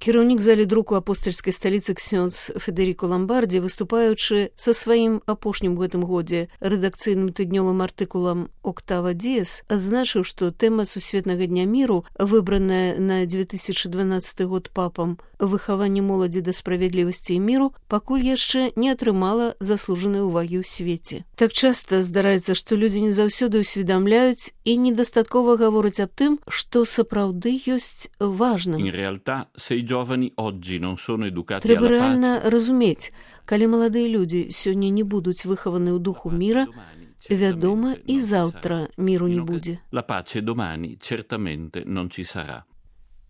Кіраўнік залі друку апостальскай сталіцы ксёндз Федеріко Ламбардзі, выступаючы са сваім апошнім у гэтым годзе рэдакцыйным тыднёвым артыкулам «Октава Диес», адзначыў, што тэма Сусветнага дня міру, выбраная на 2012 год папам «Выхаванне моладзі да справядлівасці і міру», пакуль яшчэ не атрымала заслужанай увагі ў свеце. Так часта здараецца, што людзі не заўсёды ўсведамляюць і недастаткова гавораць аб тым, што сапраўды ёсць важным. Трэба рэальна разумець, калі маладыя людзі сёння не будуць выхаваны ў духу міра, вядома, і заўтра міру не будзе.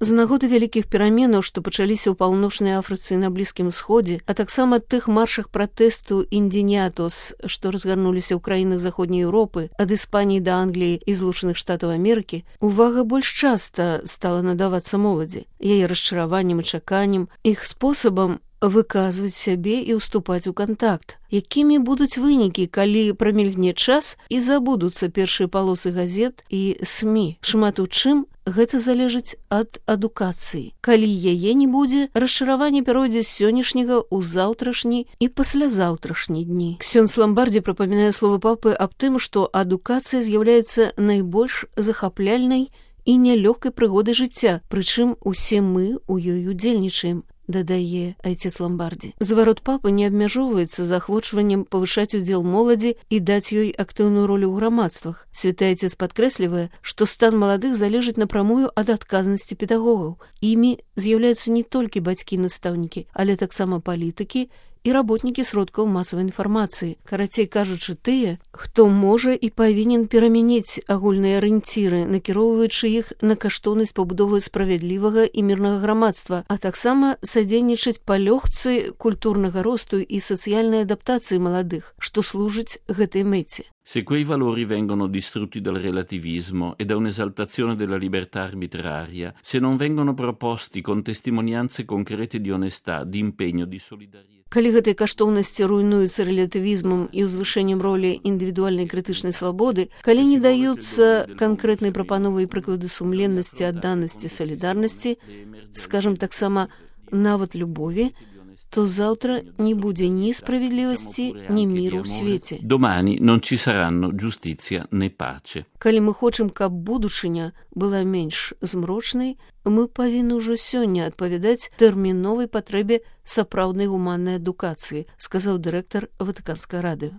З нагоды вялікіх пераменаў, што пачаліся ў паўночнай Афрыцы і на Блізкім Сходзе, а таксама тых маршах пратэсту «Индиниатос», што разгарнуліся ў краінах Заходняй Еўропы, ад Іспаніі да Англіі і Злучаных Штатаў Амерыкі, увага больш часта стала надавацца моладзі, яе расчараваннем і чаканнем, іх спосабам выказваць сябе і ўступаць у кантакт. Якімі будуць вынікі, калі прамільгне час і забудуцца першыя палосы газет і СМІ? Шмат у чым гэта залежыць ад адукацыі. Калі яе не будзе, расчараванне пяройдзе з сённяшняга ў заўтрашні і паслязаўтрашні дні. Ксёндз Ламбардзі прапамінае словы папы аб тым, што адукацыя з'яўляецца найбольш захапляльнай і нялёгкай прыгодай жыцця, прычым усе мы ў ёй удзельнічаем, дадае айцец Ламбардзі. Зварот папы не абмяжоўваецца заахвочваннем павышаць удзел моладзі і даць ёй актыўную ролю ў грамадствах. Святы айцец падкрэслівае, што стан маладых залежыць напрамую ад адказнасці педагогаў. Імі з'яўляюцца не толькі бацькі і настаўнікі, але таксама палітыкі і работнікі сродкаў масавай інфармацыі. Карацей кажучы, тыя, хто можа і павінен перамяніць агульныя арыенціры, накіроўваючы іх на каштоўнасць пабудовы справядлівага і мірнага грамадства, а таксама садзейнічаць палёгцы культурнага росту і сацыяльнай адаптацыі маладых, што служыць гэтай мэце. Se quei valori vengono distrutti dal relativismo e da un'esaltazione della libertà arbitraria, se non vengono proposti con testimonianze concrete di onestà, di impegno, di solidarietà. Калі гэтыя каштоўнасці руйнуюцца рэлятывізмам і ўзвышэннем ролі індывідуальнай крытычнай свабоды, калі не даюцца канкрэтнай прапановы і прыклады сумленнасці, адданасці, салідарнасці, скажам таксама, нават любові, то заўтра не будзе ні справядлівасці, ні міру ў свеце. Domani non ci saranno giustizia né pace. Калі мы хочам, каб будучыня была менш змрочнай, мы павінны ўжо сёння адпавядаць тэрміновай патрэбе сапраўднай гуманнай адукацыі, сказаў дырэктар Ватыканскай радыё.